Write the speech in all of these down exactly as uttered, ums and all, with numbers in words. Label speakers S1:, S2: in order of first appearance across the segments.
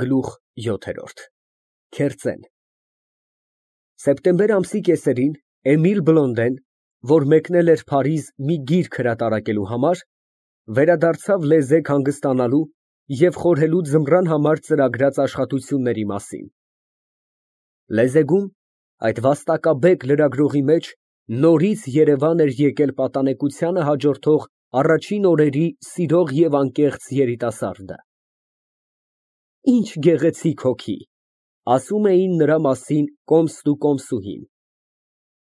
S1: Գլուխ յոթ Քերծեն Սեպտեմբեր ամսի կեսերին Էմիլ Բլոնդեն, որ մեկնել էր Փարիզ մի գիրք հրատարակելու համար, վերադարձավ լեզեկ հանգստանալու և խորհելու ձմռան համար ծրագրած աշխատությունների մասին։ Լեզեգում, այդ վաստակաբեկ լրագրողի մեջ, նորից երևան էր եկել պատանեկությանը հաջորդող առաջին օրերի սիրող և անկեղծ երիտասարդը։ Ինչ գեղեցիկ հոգի, ասում էին նրա մասին կոմստ ու կոմսուհին։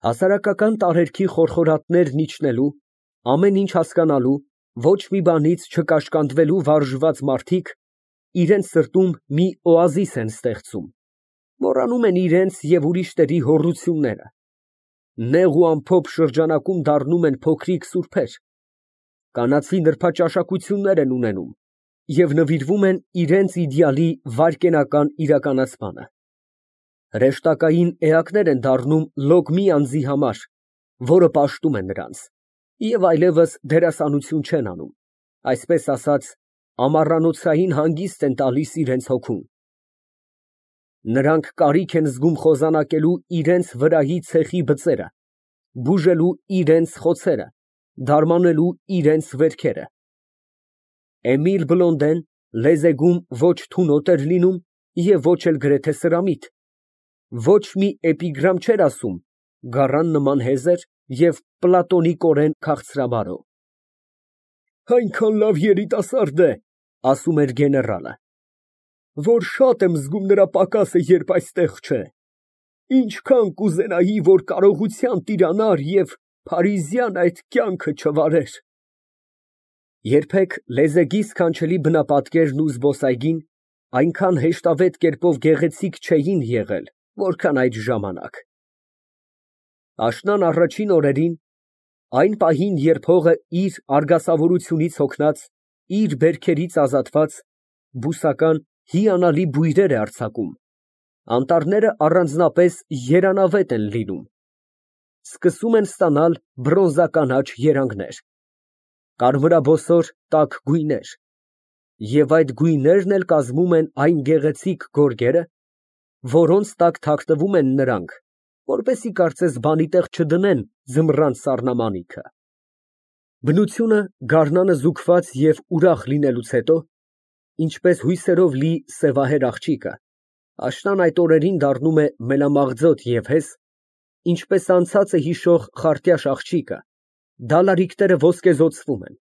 S1: Հասարակական տարերքի խորխորատներն իջնելու, ամեն ինչ հասկանալու, ոչ մի բանից չկաշկանդվելու վարժված մարդիկ իրենց սրտում մի օազիս են ստեղծում, մոռանում են իրենց և ուրիշների հոռությունները, նեղ ու ամփոփ շրջանակում դառնում են փոքրիկ սուրբեր, կանացի նրբաճաշակություններ են ունենում և նվիրվում են իրենց իդեալի վայրկենական իրականացմանը, հրեշտակային էակներ են դառնում լոգ մի անձի համար, որը պաշտում է նրանց, և այլևս դերասանություն չեն անում, այսպես ասած, ամառանոցային հանգիստ են տալիս իրենց հոգուն։ Նրանք կարիք են զգում խոզանակելու իրենց վրայի ցեխի բծերը, բուժելու իրենց խոցերը, դարմանելու իրենց վերքերը։ Էմիլ Բլոնդեն լեզեգում ոչ թունոտ էր լինում և ոչ էլ գրեթե սրամիտ, ոչ մի էպիգրամ չէր ասում, գառան նման հեզեր և պլատոնիկորեն քաղցրաբարո։ Այնքան լավ երիտասարդ է, ասում էր գեներալը, որ շատ եմ զգում նրա պակասը, երբ այստեղ չէ, ինչքան կուզենայի, որ կարողության տիրանար և փարիզյան այդ կյանքը չվարեր։ Երբեք լեզեգի սքանչելի բնապատկերն ու զբոսայգին այնքան հեշտավետ կերպով գեղեցիկ չէին եղել, որքան այդ ժամանակ։ Աշնան առաջին օրերին, այն պահին, երբ հողը իր արգասավորությունից հոգնած, իր բերքերից ազատված, բուսական, հիանալի բույրեր է արձակում, անտառները առանձնապես երանավետ են լինում, սկսում են ստանալ բրոնզականաչ երանգներ, կարմրաբոսոր տաք գույներ, և այդ գույներն էլ կազմում են այն գեղեցիկ գորգերը, որոնց տակ թաքնվում են նրանք, որպեսզի կարծես բանի տեղ չդնեն ձմռան սառնամանիքը։ Բնությունը գարնանը զուգված և ուրախ լինելուց հետո, ինչպես հույսերով լի սևահեր աղջիկը, աշնան այդ օրերին դառնում է մելամաղձոտ և հեզ, ինչպես անցածը հիշող խարտյաշ աղջիկը, դալարիկները ոսկեզօծվում են,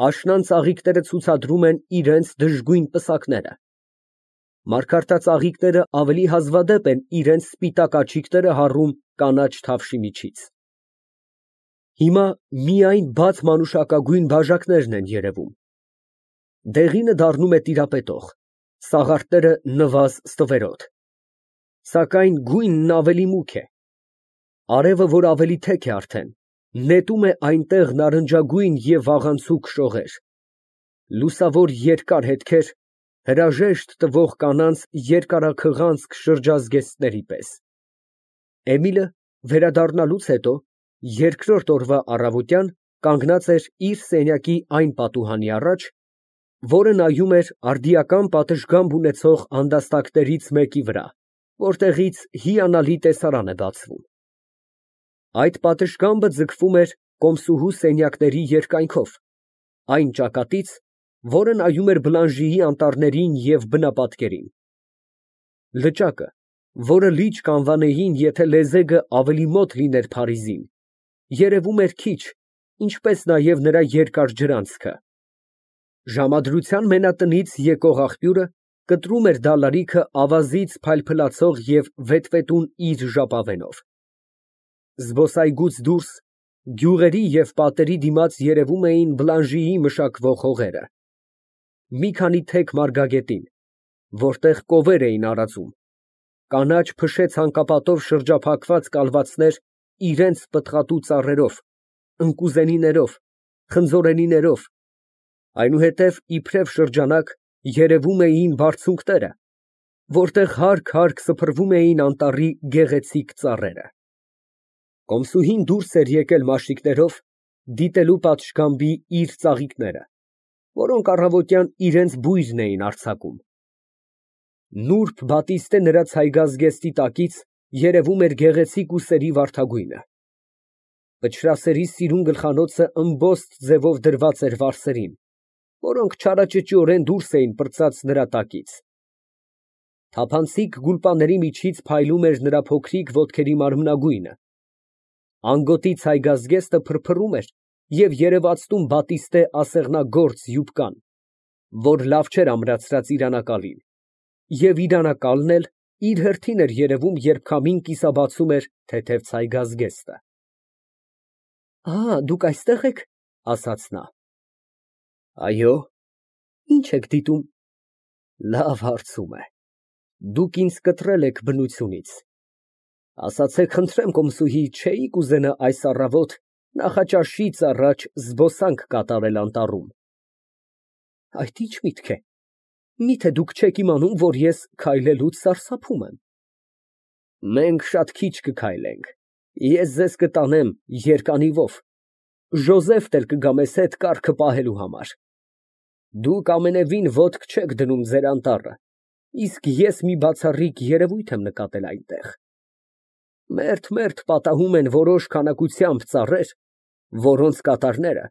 S1: աշնան ծաղիկները ցուցադրում են իրենց դժգույն պսակները, մարգարտածաղիկները ավելի հազվադեպ են իրենց սպիտակ աչիկները հառում կանաչ թավշի միջից։ Հիմա միայն բաց մանուշակագույն բաժակներն են երևում, դեղինը դառնում է տիրապետող, սաղարթները նվազ ստվերոտ, սակայն գույնն ավելի մուգ է, արևը, որ ավելի թեք է արդեն, նետում է այնտեղ նարնջագույն և վաղանցուկ շողեր, լուսավոր երկար հետքեր, հրաժեշտ տվող կանանց երկարաքղանցք շրջազգեստների պես։ Էմիլը վերադառնալուց հետո, երկրորդ օրվա առավոտյան, կանգնած էր իր սենյակի այն պատուհանի առաջ, որը նայում էր արդիական պատշգամբ ունեցող անդաստակներից մեկի վրա, որտեղից հիանալի տեսարան է բացվում։ Այդ պատշգամբը ձգվում էր կոմսուհու սենյակների երկայնքով, այն ճակատից, որը նայում էր Բլանժիի անտառներին և բնապատկերին։ Լճակը, որը լիճ կանվանեին, եթե լեզեգը ավելի մոտ լիներ Փարիզին, երևում էր քիչ, ինչպես նաև նրա երկար ջրանցքը։ Ժամադրության մենատնից եկող աղբյուրը կտրում էր դալարիքը ավազից փայլփլացող և վետվետուն իր ժապավենով։ Զբոսայգուց դուրս, գյուղերի և պատերի դիմաց երևում էին Բլանժիի մշակվող հողերը, մի քանի թեք մարգագետին, որտեղ կովեր էին արածում, կանաչ փշե ցանկապատով շրջափակված կալվածներ իրենց պտղատու ծառերով, ընկուզենիներով, խնձորենիներով, այնուհետև իբրև շրջանակ երևում էին բարձունքները, որտեղ հարկ֊հարկ սփռվում էին անտառի գեղեցիկ ծառերը։ Կոմսուհին դուրս էր եկել մաշիկներով, դիտելու պատշգամբի իր ծաղիկները, որոնք առավոտյան իրենց բույրն էին արձակում։ Նուրբ բատիստե նրա ցայգազգեստի տակից երևում էր գեղեցիկ ուսերի վարդագույնը։ Փչրասերի սիրուն գլխանոցը ըմբոստ ձևով դրված էր վարսերին, որոնք չարաճճիորեն դուրս էին պրծած նրա տակից։ Թափանցիկ գուլպաների միջից փայլում էր նրա փոքրիկ ոտքերի մարմնագույնը։ Անգոտի ցայգազգեստը փրփռում էր և երևացնում բատիստե ասեղնագործ յուբկան, որ լավ չէր ամրացրած իր անակալին, և իր անակալն էլ իր հերթին էր երևում, երբ քամին կիսաբացում էր թեթև ցայգազգեստը։ «Ա, դուք այստեղ եք, ֊ ասաց նա։ ֊ Այո։ Ի՞նչ եք դիտում։ ֊ Լավ հարցում է, դուք ինձ կտրել եք բնությունից։ Ասացեք, խնդրեմ, կոմսուհի, չէի՞ք ուզենա այս առավոտ նախաճաշից առաջ զբոսանք կատարել անտառում։ ֊ Այդ ի՞նչ միտք է։ Միթե դուք չեք իմանում, որ ես քայլելուց սարսափում եմ։ ֊ Մենք շատ քիչ կքայլենք, ես ձեզ կտանեմ երկանիվով, Ժոզեֆն էլ կգա մեզ հետ կառքը պահելու համար։ Դուք ամենևին ոտք չեք դնում ձեր անտառը, իսկ ես մի բացառիկ երևույթ եմ նկատել այնտեղ։ Մերթ֊մերթ պատահում են որոշ քանակությամբ ծառեր, որոնց կատարները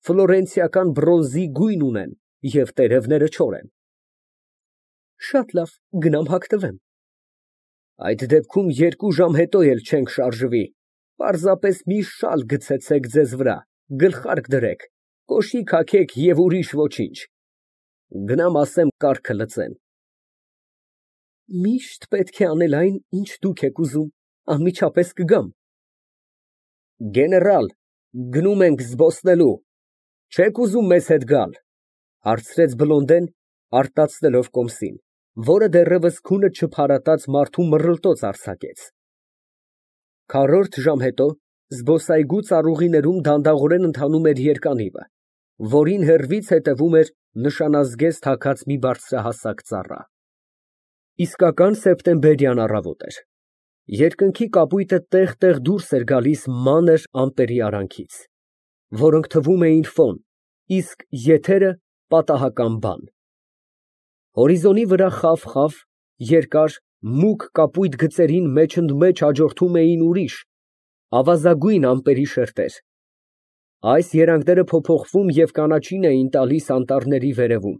S1: ֆլորենցիական բրոնզի գույն ունեն և տերևները չոր են։ Շատ լավ, գնամ հագնվեմ։ Այդ դեպքում երկու ժամ հետո էլ չենք շարժվի, պարզապես մի շալ գցեցեք ձեզ վրա, գլխարկ դրեք, կոշիկ հագեք և ուրիշ ոչինչ։ Գնամ ասեմ կառքը լցեն։ Միշտ պետք է անել այն, ինչ դուք եք ուզում, անմիջապես կգամ։ Գեներալ, գնում ենք զբոսնելու, չե՞ք ուզում մեզ հետ գալ, ֊ հարցրեց Բլոնդեն, արտացնելով կոմսին, որը դեռևս քունը չփարատած մարդու մռլտոց արձակեց։ Քառորդ ժամ հետո զբոսայգու ծառուղիներում դանդաղորեն ընթանում էր երկանիվը, որին հեռվից հետևում էր նշանազգեստ հագած մի բարձրահասակ ծառա։ Իսկական սեպտեմբերյան առավոտ էր։ Երկնքի կապույտը տեղ֊տեղ դուրս էր գալիս մանր ամպերի արանքից, որոնք թվում էին ֆոն, իսկ եթերը պատահական բան։ Հորիզոնի վրա խավ֊խավ, երկար, մուգ կապույտ գծերին մեջընդմեջ հաջորդում էին ուրիշ, ավազագույն ամպերի շերտեր։ Այս երանգները փոփոխվում և կանաչին էին տալիս անտառների վերևում։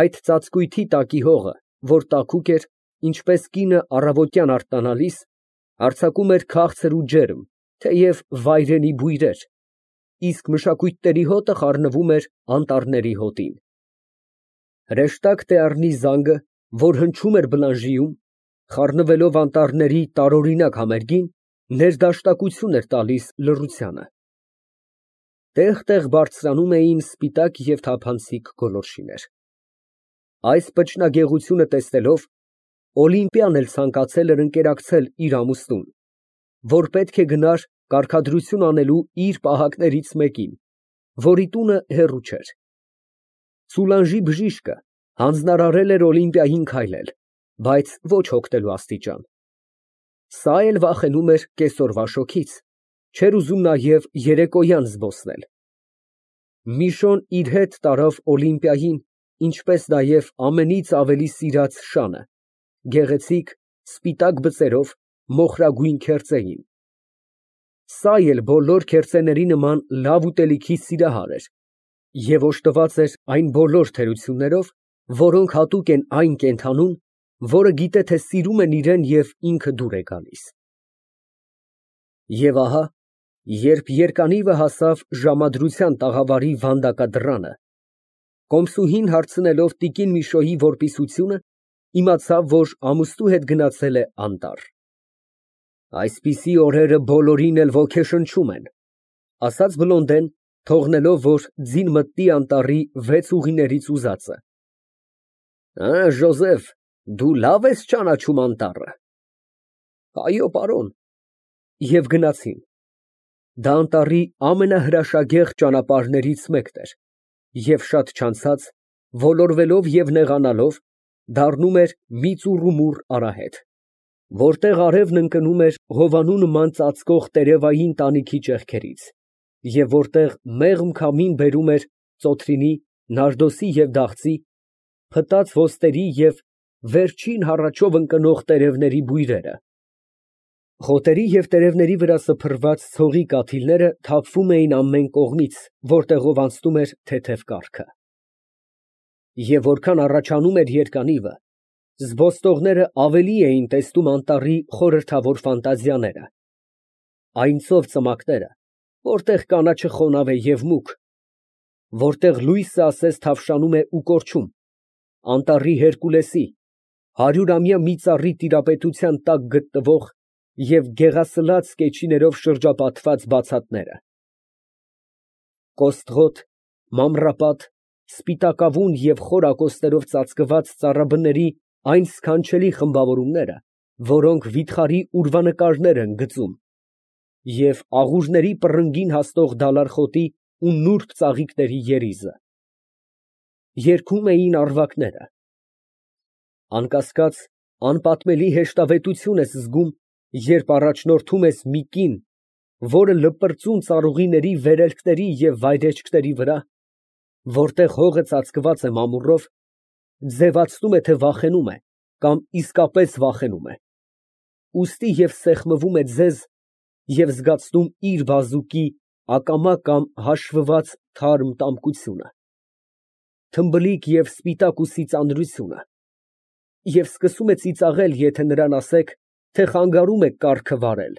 S1: Այդ ծածկույթի տակի հողը, որ տաքուկ էր, ինչպես կինը առավոտյան արթնանալիս, արձակում էր քաղցր ու ջերմ, թեև վայրենի բույրեր, իսկ մշակույթների հոտը խառնվում էր անտառների հոտին։ Հրեշտակ Տեառնի զանգը, որ հնչում էր Բլանժիում, խառնվելով անտառների տարօրինակ համերգին, ներդաշնակություն էր տալիս լռությանը։ Տեղ֊տեղ բարձրանում էին սպիտակ և թափանցիկ գոլորշիներ։ Այս պճնագեղությունը տեսնելով, Օլիմպիան էլ ցանկացել էր ընկերակցել իր ամուսնուն, որ պետք է գնար կարգադրություն անելու իր պահակներից մեկին, որի տունը հեռու չէր։ Սուլանժի բժիշկը հանձնարարել էր Օլիմպիային քայլել, բայց ոչ հոգնելու աստիճան։ Սա էլ վախենում էր կեսօրվա շոգից, չէր ուզում նաև երեկոյան զբոսնել։ Միշոն իր հետ տարավ Օլիմպիային, ինչպես նաև ամենից ավելի սիրած շանը, գեղեցիկ, սպիտակ բծերով, մոխրագույն քերծեին։ Սա էլ բոլոր քերծեների նման լավ ուտելիքի սիրահար էր և օժտված էր այն բոլոր թերություններով, որոնք հատուկ են այն կենդանուն, որը գիտե, թե սիրում են իրեն և ինքը դուր է գալիս։ Եվ ահա, երբ երկանիվը հասավ ժամադրության տաղավարի վանդակադռանը, կոմսուհին հարցնելով տիկին Միշոյի որպիսությունը, իմացավ, որ ամուսնու հետ գնացել է անտառ։ Այսպիսի օրերը բոլորին էլ ոգեշնչում են, ֊ ասաց Բլոնդեն, թողնելով, որ ձին մտնի անտառի վեց ուղիներից ուզածը։ Ա, Ժոզեֆ, դու լավ ես ճանաչում անտառը։ Այո, պարոն։ Եվ գնացին։ Դա անտառի ամենահրաշագեղ ճանապարհներից մեկն էր, և շատ չանցած, ոլորվելով և նեղանալով, դառնում էր մի ծուռումուռ արահետ, որտեղ արևն ընկնում էր հովանու նման ծածկող տերևային տանիքի ճեղքերից, և որտեղ մեղմ քամին բերում էր ծոթրինի, նարդոսի և դաղձի, փտած ոստերի և վերջին հառաչով ընկնող տերևների բույրերը։ Խոտերի և տերևների վրա սփռված ցողի կաթիլները թափվում էին ամեն կողմից, որտեղով անցնում էր թեթև կառքը։ Եվ որքան առաջանում էր երկանիվը, զբոսնողները ավելի էին տեսնում անտառի խորհրդավոր ֆանտազիաները, այն ծով ծմակները, որտեղ կանաչը խոնավ է և մուգ, որտեղ լույսը ասես թավշանում է ու կորչում, անտառի Հերկուլեսի, հարյուրամյա մի ծառի տիրապետության տակ գտնվող և գեղասլաց կեչիներով շրջապատված բացատները։ Կոստղոտ, մանրապատ, սպիտակավուն և խոր ակոսներով ծածկված ծառաբների այն սքանչելի խմբավորումները, որոնք վիթխարի ուրվանկարներ են գծում, և աղուրների պռնգին հասնող դալար֊խոտի ու նուրբ ծաղիկների երիզը։ Երգում էին առվակները։ Անկասկած, անպատմելի հեշտավետություն ես զգում, երբ առաջնորդում ես մի կին, որը լպրծուն ծառուղիների վերելքների և վայրէջքների վրա, որտեղ հողը ծածկված է մամուռով, ձևացնում է, թե վախենում է կամ իսկապես վախենում է, ուստի և սեղմվում է ձեզ և զգացնում իր բազուկի ակամա կամ հաշվված թարմ տամկությունը, թմբլիկ և սպիտակ ուսի ծանրությունը, և սկսում է ծիծաղել, եթե նրան ասեք, թե խանգարում է կառքը վարել։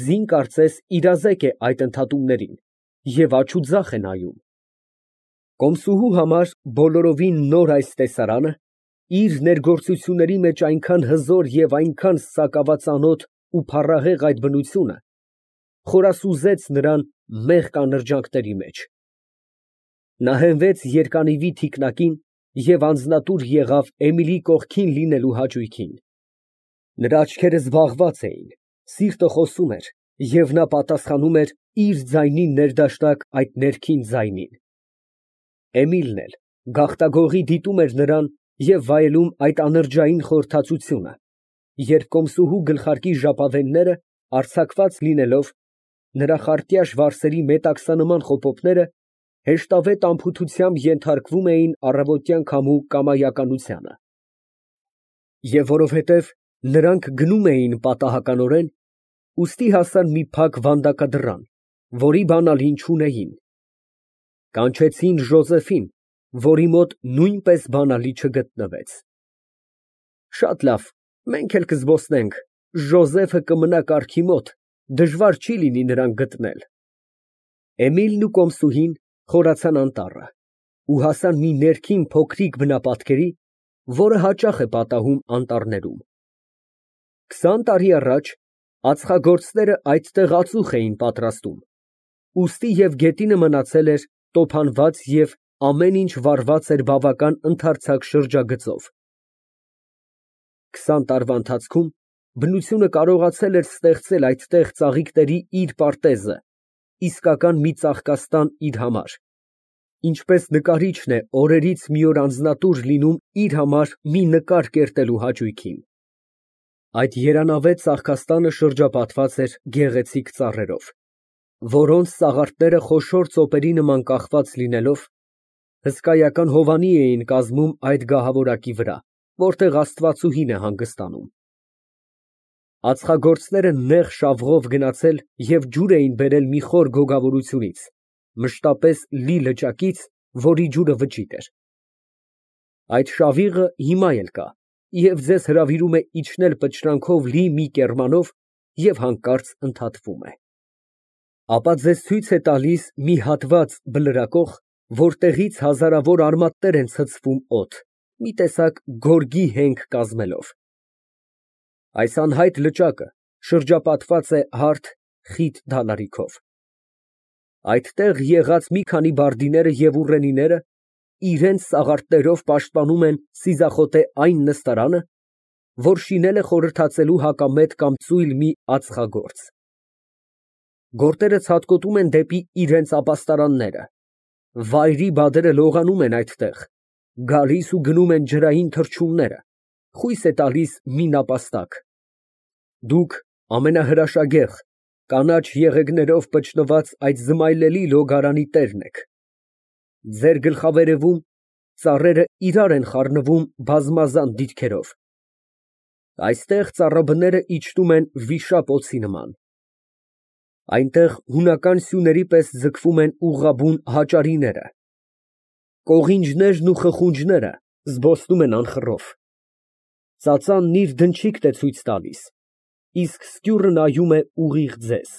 S1: Ձին կարծես իրազեկ է այդ ընդհատումներին և աջուձախ է նայում։ Կոմսուհու համար բոլորովին նոր այս տեսարանը իր ներգործությունների մեջ այնքան հզոր և այնքան սակավածանոթ ու փառահեղ այդ բնությունը խորասուզեց նրան մեղք անրջանքների մեջ։ Նա հենվեց երկանիվի թիկնակին և անձնատուր եղավ Էմիլիի կողքին լինելու հաճույքին։ Նրա աչքերը զբաղված էին, սիրտը խոսում էր, և նա պատասխանում էր իր ձայնի ներդաշնակ այդ ներքին ձայնին։ Էմիլն էլ գաղտագողի դիտում էր նրան և վայելում այդ անրջային խորհրդածությունը, երբ կոմսուհու գլխարկի ժապավենները, արձակված լինելով, նրա խարտյաշ վարսերի մետաքսանման խոպոպները հեշտավետ անփութությամբ ենթարկվում էին առավոտյան քամու կամայականությանը։ Եվ որովհետև նրանք գնում էին պատահականորեն, ուստի հասան մի փակ վանդակադռան, որի բանալին չունեին։ Կանչեցին Ժոզեֆին, որի մոտ նույնպես բանալի չգտնվեց։ Շատ լավ, մենք էլ կզբոսնենք, Ժոզեֆը կմնա կառքի մոտ, դժվար չի լինի նրան գտնել։ Էմիլն ու կոմսուհին խորացան անտառը ու հասան մի ներքին փոքրիկ բնապատկերի, որը հաճախ է պատահում անտառներում։ Քսան տարի առաջ ածխագործները այդտեղ ածուխ էին պատրաստում, ուստի և գետինը մնացել էր տոփանված և ամեն ինչ վառված էր բավական ընդարձակ շրջագծով։ Քսան տարվա ընթացքում բնությունը կարողացել էր ստեղծել այդտեղ ծաղիկների իր պարտեզը, իսկական մի ծաղկաստան իր համար, ինչպես նկարիչն է օրերից մի օր անձնատուր լինում իր համար մի նկար կերտելու հաճույքին։ Այդ երանավետ ծաղկաստանը շրջապատված էր գեղեցիկ ծառերով, որոնց սաղարթները խոշոր ծոպերի նման կախված լինելով, հսկայական հովանի էին կազմում այդ գահավորակի վրա, որտեղ աստվածուհին է հանգստանում։ Ածխագործները նեղ շավղով գնացել և ջուր էին բերել մի խոր գոգավորությունից, մշտապես լի լճակից, որի ջուրը վճիտ էր։ Այդ շավիղը հիմա էլ կա և ձեզ հրավիրում է իջնել պտշրանքով լի մի կեռմանով և հանկարծ ընդհատվում է։ Ապա ձեզ ցույց է տալիս մի հատված բլրակող, որտեղից հազարավոր արմատներ են ցցվում օդ, մի տեսակ գորգի հենք կազմելով։ Այս անհայտ լճակը շրջապատված է հարթ, խիտ դալարիքով։ Այդտեղ եղած մի քանի բարդիները և ուռենիները իրենց սաղարթներով պաշտպանում են սիզախոտե այն նստարանը, որ շինել է խորհրդածելու հակամետ կամ ծույլ մի ածխագործ։ Գորտերը ցատկոտում են դեպի իրենց ապաստարանները, վայրի բադերը լողանում են այդտեղ, գալիս ու գնում են ջրային թռչունները, խույս է տալիս մի նապաստակ։ Դուք ամենահրաշագեղ, կանաչ եղեգներով պչնված այդ զմայլելի լոգարանի տերն եք։ Ձեր գլխավերևում ծառերը իրար են խառնվում բազմազան դիրքերով։ Այստեղ ծառաբները իջնում են վիշապ օձի նման։ Այնտեղ հունական սյուների պես ձգվում են ուղղաբուն հաճարիները։ Կողինջներն ու խխունջները զբոսնում են անխռով։ Ծածանն իր դնչիկն է ցույց տալիս, իսկ սկյուռը նայում է ուղիղ ձեզ։